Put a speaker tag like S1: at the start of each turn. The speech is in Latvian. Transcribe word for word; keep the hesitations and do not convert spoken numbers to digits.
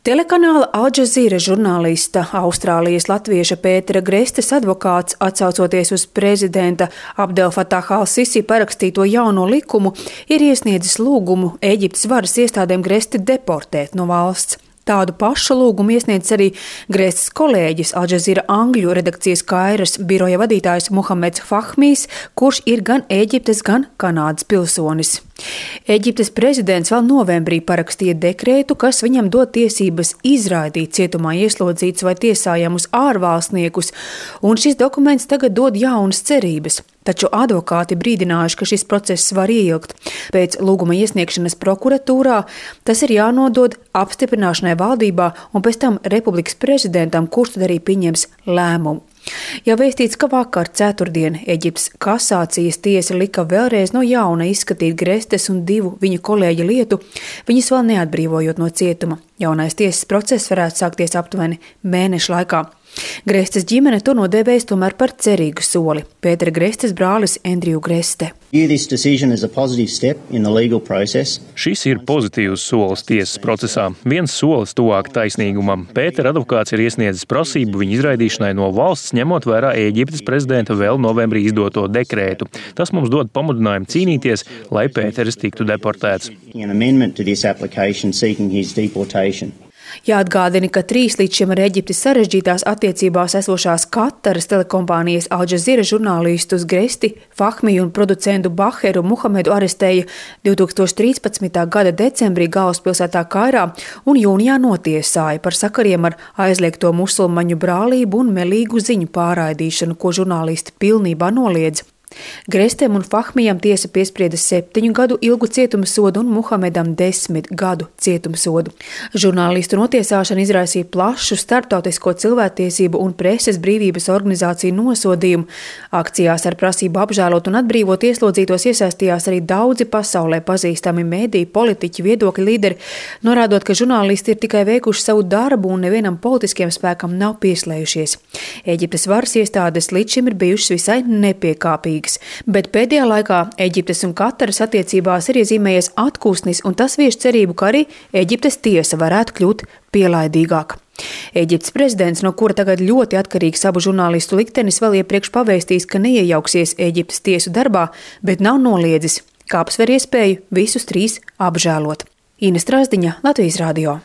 S1: Telekanāla Al Jazeera žurnālista, Austrālijas latvieša Pētera Grestes advokāts, atsaucoties uz prezidenta Abdel Fatah al-Sisi parakstīto jauno likumu, ir iesniedzis lūgumu Ēģiptes varas iestādēm Gresti deportēt no valsts. Tādu pašu lūgumu iesniedz arī Grestes kolēģis Al Jazeera angļu redakcijas Kairas biroja vadītājs Muhameds Fahmijs, kurš ir gan Ēģiptes, gan Kanādas pilsonis. Ēģiptes prezidents vēl novembrī parakstīja dekrētu, kas viņam dod tiesības izraidīt cietumā ieslodzītus vai tiesājamus ārvalstniekus, un šis dokuments tagad dod jaunas cerības. Taču advokāti brīdinājuši, ka šis process var ieilgt. Pēc lūguma iesniegšanas prokuratūrā tas ir jānodod apstiprināšanai valdībā un pēc tam republikas prezidentam, kurš tad arī pieņems lēmumu. Jau vēstīts, ka vakar ceturtdien Ēģiptes kasācijas tiesa lika vēlreiz no jauna izskatīt Grestes un divu viņa kolēģi lietu, viņus vēl neatbrīvojot no cietuma. Jaunais tiesas process varētu sākties aptuveni mēneša laikā. Grestes ģimene to nodēvējas tomēr par cerīgu soli. Pētera Grestes brālis Andrew Greste.
S2: Šis ir pozitīvs solis tiesas procesā. Viens solis tuvāk taisnīgumam. Pētera advokāts ir iesniedzis prasību viņa izraidīšanai no valsts, ņemot vērā Ēģiptes prezidenta vēl novembrī izdoto dekrētu. Tas mums dod pamudinājumu cīnīties, lai Pēteris tiktu deportēts.
S1: Jāatgādina, ka trīs līdz šim ar Ēģipti sarežģītās attiecībās esošās Kataras telekompānijas Al Jazeera žurnālistus Gresti, Fahmiju un producentu Baheru Muhamedu arestēja divtūkstoš trīspadsmitā gada decembrī galvaspilsētā Kairā un jūnijā notiesāja par sakariem ar aizliegto musulmaņu brālību un melīgu ziņu pārraidīšanu, ko žurnālisti pilnībā noliedz. Grestem un Fahmijam tiesa piesprieda septiņu gadu ilgu cietumsodu un Muhamedam desmit gadu cietumsodu. Žurnālistu notiesāšana izraisīja plašu starptautisko cilvēktiesību un preses brīvības organizāciju nosodījumu. Akcijās ar prasību apžēlot un atbrīvot ieslodzītos iesaistījās arī daudzi pasaulē pazīstami mediji, politiķi, viedokļu līderi, norādot, ka žurnālisti ir tikai veikuši savu darbu un nevienam politiskiem spēkam nav pieslējušies. Ēģiptes varas iestādes līdz šim ir bijušas visai nepiekāpīgi. Bet pēdējā laikā Ēģiptes un Kataras attiecībās ir iezīmējies atkūsnis, un tas vieš cerību, ka arī Ēģiptes tiesa varētu kļūt pielaidīgāka. Ēģiptes prezidents, no kura tagad ļoti atkarīgs abu žurnālistu liktenis, vēl iepriekš pavēstījis, ka neiejauksies Ēģiptes tiesu darbā, bet nav noliedzis, ka apsver iespēju visus trīs apžēlot. Ines Strasdiņa, Latvijas radio.